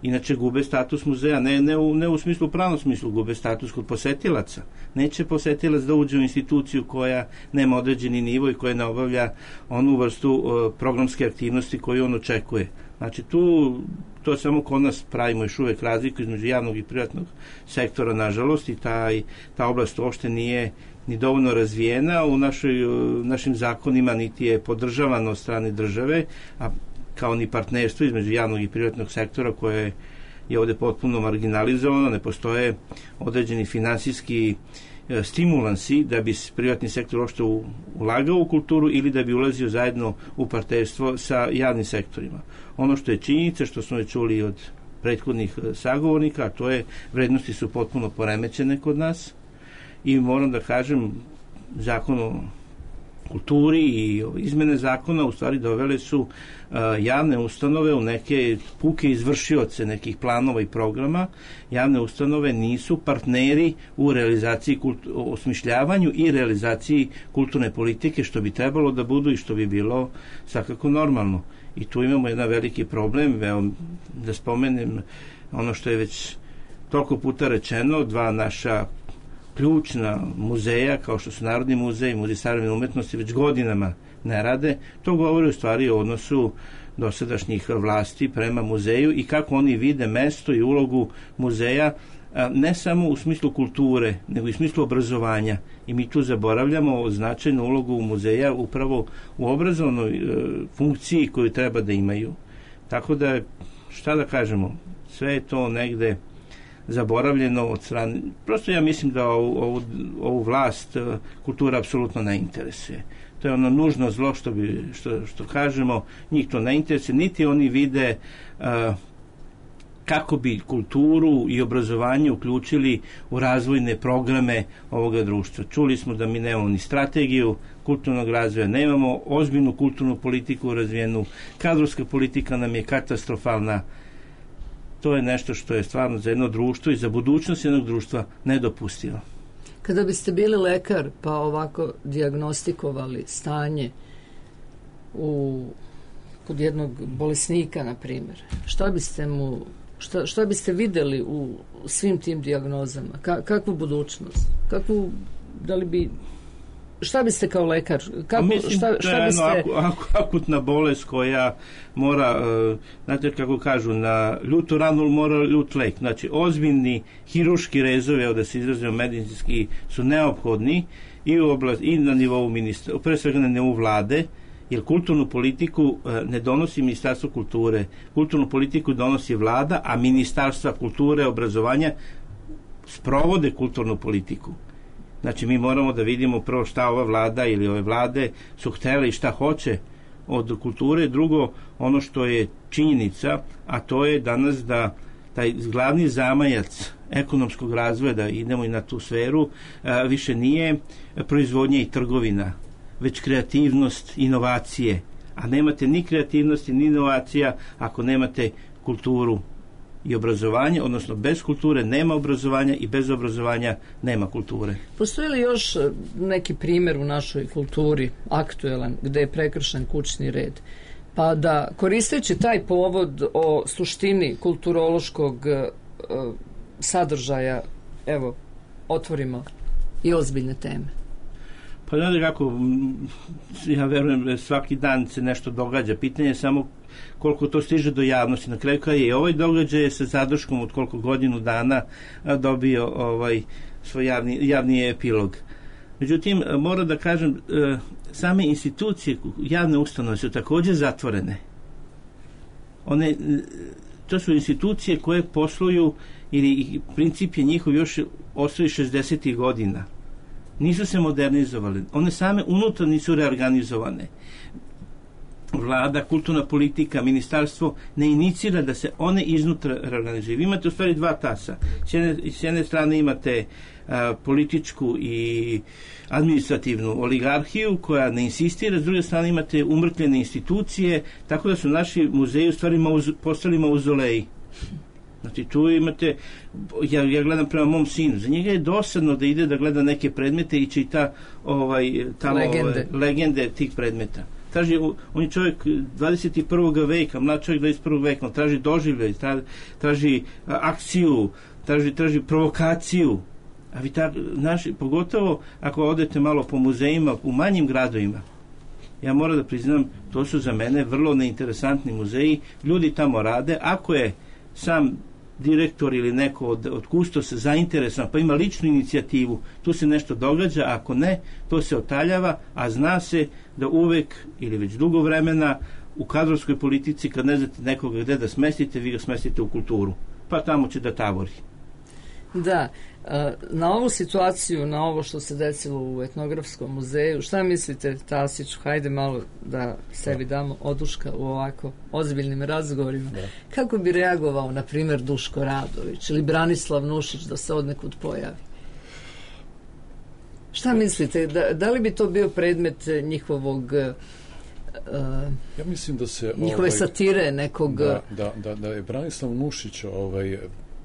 Inače gube status muzeja, ne, ne, u, ne u smislu, pravnom smislu, gube status kod posetilaca. Neće posetilac da uđe u instituciju koja nema određeni nivo i koja ne obavlja onu vrstu uh, programske aktivnosti koju on očekuje. Znači tu, to samo kod nas pravimo još uvek razliku između javnog i privatnog sektora, nažalost, i taj, ta oblast uopšte nije ni dovoljno razvijena u našoj, uh, našim zakonima, niti je podržavano od strane države, a kao ni partnerstvo između javnog i privatnog sektora koje je ovde potpuno marginalizovano, ne postoje određeni finansijski e, stimulansi da bi privatni sektor uopšte ulagao u kulturu ili da bi ulazio zajedno u partnerstvo sa javnim sektorima. Ono što je činjenica, što smo je čuli od prethodnih sagovornika, a to je vrednosti su potpuno poremećene kod nas i moram da kažem, zakon o kulturi i izmene zakona u stvari dovele su uh, javne ustanove u neke puke izvršioce nekih planova i programa. Javne ustanove nisu partneri u realizaciji, kultu, osmišljavanju i realizaciji kulturne politike, što bi trebalo da budu i što bi bilo svakako normalno. I tu imamo jedan veliki problem, evo, da spomenem ono što je već toliko puta rečeno, dva naša ključna muzeja, kao što su Narodni muzej i Muzej savremene umetnosti, već godinama ne rade. To govori u stvari o odnosu dosadašnjih vlasti prema muzeju i kako oni vide mesto i ulogu muzeja, ne samo u smislu kulture, nego i u smislu obrazovanja. I mi tu zaboravljamo značajnu ulogu muzeja upravo u obrazovnoj e, funkciji koju treba da imaju. Tako da, šta da kažemo, sve je to negde zaboravljeno od strane. Prosto ja mislim da ovu, ovu, ovu vlast kultura apsolutno ne interesuje. To je ono nužno zlo što, bi, što, što kažemo, njih to ne interesuje, niti oni vide uh, kako bi kulturu i obrazovanje uključili u razvojne programe ovoga društva. Čuli smo da mi nemamo ni strategiju kulturnog razvoja, nemamo ozbiljnu kulturnu politiku razvijenu, kadrovska politika nam je katastrofalna. To je nešto što je stvarno za jedno društvo i za budućnost jednog društva nedopustivo. Kada biste bili lekar pa ovako dijagnostikovali stanje u, kod jednog bolesnika, na primjer, šta biste mu šta, šta biste videli u svim tim dijagnozama? Ka, kakvu budućnost? Kakvu, da li bi šta biste kao lekar? Kako, mislim, šta, šta biste... Ako, ako, akutna bolest koja mora, uh, znate kako kažu, na ljutu ranu mora ljut lek. Znači, ozbiljni hiruški rezovi, evo da se izrazimo medicinski, su neophodni i, u oblast, i na nivou ministra, pre svega na nivou vlade, jer kulturnu politiku uh, ne donosi Ministarstvo kulture. Kulturnu politiku donosi vlada, a Ministarstva kulture, obrazovanja sprovode kulturnu politiku. Znači, mi moramo da vidimo prvo šta ova vlada ili ove vlade su htele i šta hoće od kulture. Drugo, ono što je činjenica, a to je danas da taj glavni zamajac ekonomskog razvoja, da idemo i na tu sferu, a, više nije proizvodnja i trgovina, već kreativnost, inovacije. A nemate ni kreativnosti, ni inovacija ako nemate kulturu i obrazovanje, odnosno bez kulture nema obrazovanja i bez obrazovanja nema kulture. Postoji li još neki primjer u našoj kulturi aktuelan gde je prekršen kućni red? Pa da koristeći taj povod o suštini kulturološkog uh, sadržaja, evo, otvorimo i ozbiljne teme. Pa znate kako, ja verujem svaki dan se nešto događa. Pitanje je samo koliko to stiže do javnosti. Na kraju kada je ovaj događaj sa zadrškom od koliko godinu dana dobio ovaj svoj javni, javni epilog. Međutim, moram da kažem, same institucije, javne ustanove su također zatvorene. One, to su institucije koje posluju, ili princip je njihov još ostali šezdesetih godina. Nisu se modernizovali. One same unutar nisu reorganizovane. Vlada, kulturna politika, ministarstvo ne inicira da se one iznutra reorganizuju. Vi imate u stvari dva tasa. S jedne, s jedne strane imate a, političku i administrativnu oligarhiju koja ne insistira, s druge strane imate umrtvljene institucije, tako da su naši muzeji u stvari mauz, postali mauzoleji. Znači tu imate, ja, ja gledam prema mom sinu, za njega je dosadno da ide da gleda neke predmete i čita ovaj, tamo, legende. Ove, legende tih predmeta. traži, on je čovjek dvadeset prvog veka, mlad čovjek dvadeset prvog veka, on traži doživljaj, traži akciju, traži, traži provokaciju. A vi tak, naši, pogotovo ako odete malo po muzejima u manjim gradovima, ja moram da priznam, to su za mene vrlo neinteresantni muzeji, ljudi tamo rade, ako je sam direktor ili neko od, od kustosa zainteresovan, pa ima ličnu inicijativu, tu se nešto događa, ako ne, to se otaljava, a zna se da uvek ili već dugo vremena u kadrovskoj politici, kad ne znate nekoga gde da smestite, vi ga smestite u kulturu, pa tamo će da tabori. Da, na ovu situaciju, na ovo što se desilo u etnografskom muzeju, šta mislite, Tasiću, hajde malo da sebi damo oduška u ovako ozbiljnim razgovorima. Da. Kako bi reagovao, na primjer, Duško Radović ili Branislav Nušić da se odnekud pojavi? Šta mislite, da, da li bi to bio predmet njihovog uh, ja mislim da se njihove ovaj, satire nekog... Da, da, da, da je Branislav Nušić ovaj,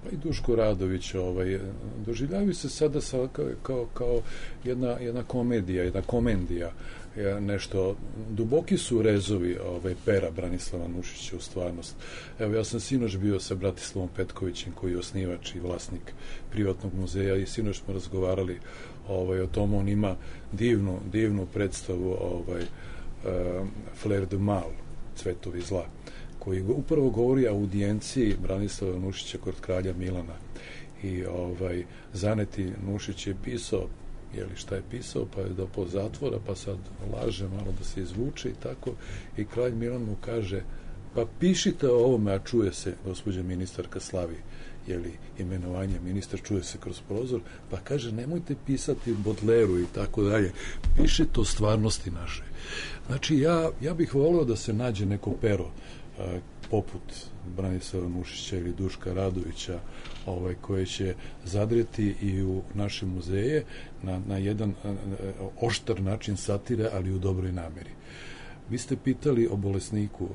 pa i Duško Radović ovaj, doživljavaju se sada sa, kao, kao jedna, jedna komedija, jedna komendija, nešto, duboki su rezovi ovaj, pera Branislava Nušića u stvarnost. Evo, ja sam sinoć bio sa Bratislavom Petkovićem, koji je osnivač i vlasnik privatnog muzeja, i sinoć smo razgovarali ovaj, o tom. On ima divnu, divnu predstavu ovaj, uh, Fleur de Mal, Cvetovi zla, koji upravo govori o audijenciji Branislava Nušića kod kralja Milana. I ovaj, Zaneti Nušić je pisao, jeli šta je pisao, pa je da po zatvora, pa sad laže malo da se izvuče i tako, i kralj Milan mu kaže, pa pišite o ovome, a čuje se, gospođa ministarka slavi, jeli, imenovanje, ministar čuje se kroz prozor, pa kaže, nemojte pisati Bodleru i tako dalje, pišite o stvarnosti naše. Znači, ja, ja bih voleo da se nađe neko pero a, poput Branislava Nušića ili Duška Radovića, ovaj, koje će zadreti i u naše muzeje na, na jedan a, a, oštar način satire, ali u dobroj nameri. Vi ste pitali o bolesniku.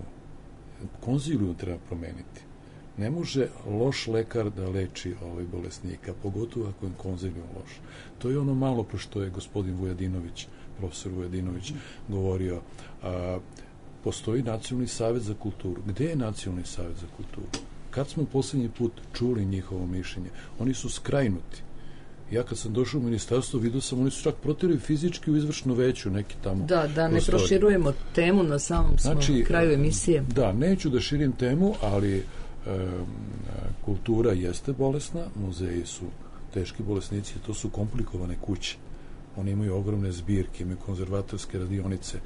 Konziliju treba promeniti. Ne može loš lekar da leči ovaj bolesnika, pogotovo ako je konziliju loš. To je ono malo pre što je gospodin Vujadinović, profesor Vujadinović, govorio. A, postoji Nacionalni savjet za kulturu. Gde je Nacionalni savjet za kulturu? Kad smo poslednji put čuli njihovo mišljenje? Oni su skrajnuti. Ja kad sam došao u ministarstvo, vidio sam, oni su čak protirali fizički u izvršno veću, neki tamo. Da, da ne prostori. Proširujemo temu na samom znači, kraju emisije. Da, neću da širim temu, ali e, kultura jeste bolesna, muzeji su teški bolesnici, to su komplikovane kuće. Oni imaju ogromne zbirke, imaju konzervatorske radionice.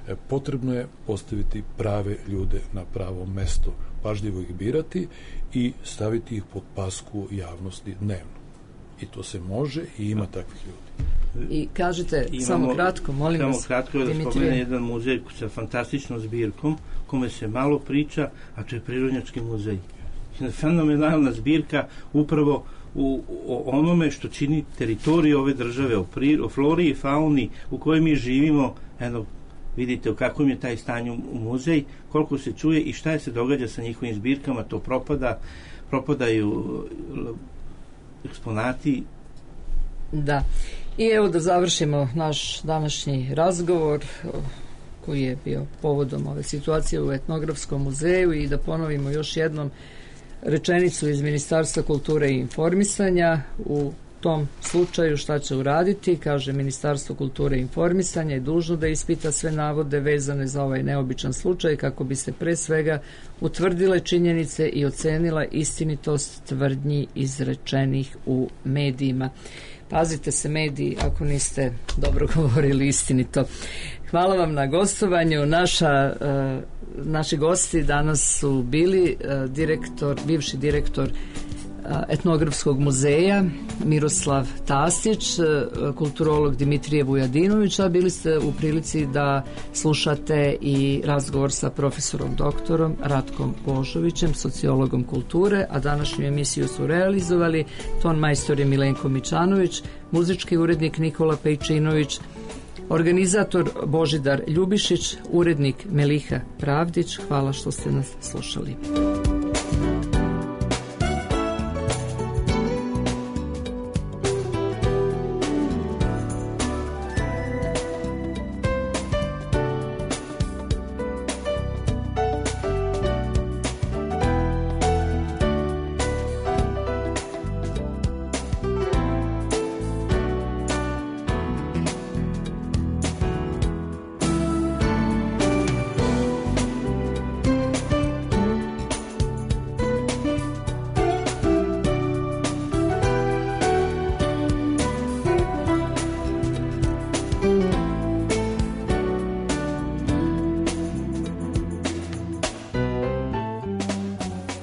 E, potrebno je postaviti prave ljude na pravo mesto, pažljivo ih birati i staviti ih pod pasku javnosti dnevno. I to se može i ima takvih ljudi. I kažete, Imamo, samo kratko, molim samo vas. Samo kratko da spomene jedan muzej sa fantastičnom zbirkom, kome se malo priča, a to je Prirodnjački muzej. Fenomenalna zbirka upravo u, u onome što čini teritoriju ove države, o, pri, o flori i fauni u kojoj mi živimo. Eno, vidite u kakvom je taj stanju u muzej, koliko se čuje i šta je se događa sa njihovim zbirkama, to propada, propadaju eksponati. Da. I evo da završimo naš današnji razgovor koji je bio povodom ove situacije u Etnografskom muzeju i da ponovimo još jednom rečenicu iz Ministarstva kulture i informisanja. U tom slučaju šta će uraditi? Kaže, Ministarstvo kulture i informisanja je dužno da ispita sve navode vezane za ovaj neobičan slučaj kako bi se pre svega utvrdile činjenice i ocenila istinitost tvrdnji izrečenih u medijima. Pazite se mediji ako niste dobro govorili istinito. Hvala vam na gostovanju. Naša, uh, naši gosti danas su bili uh, direktor, bivši direktor uh, Etnografskog muzeja Miroslav Tasić, uh, kulturolog Dimitrije Vujadinović, a bili ste u prilici da slušate i razgovor sa profesorom doktorom Ratkom Božovićem, sociologom kulture, a današnju emisiju su realizovali ton majstor je Milenko Mičanović, muzički urednik Nikola Pejčinović, organizator Božidar Ljubišić, urednik Meliha Pravdić. Hvala što ste nas slušali.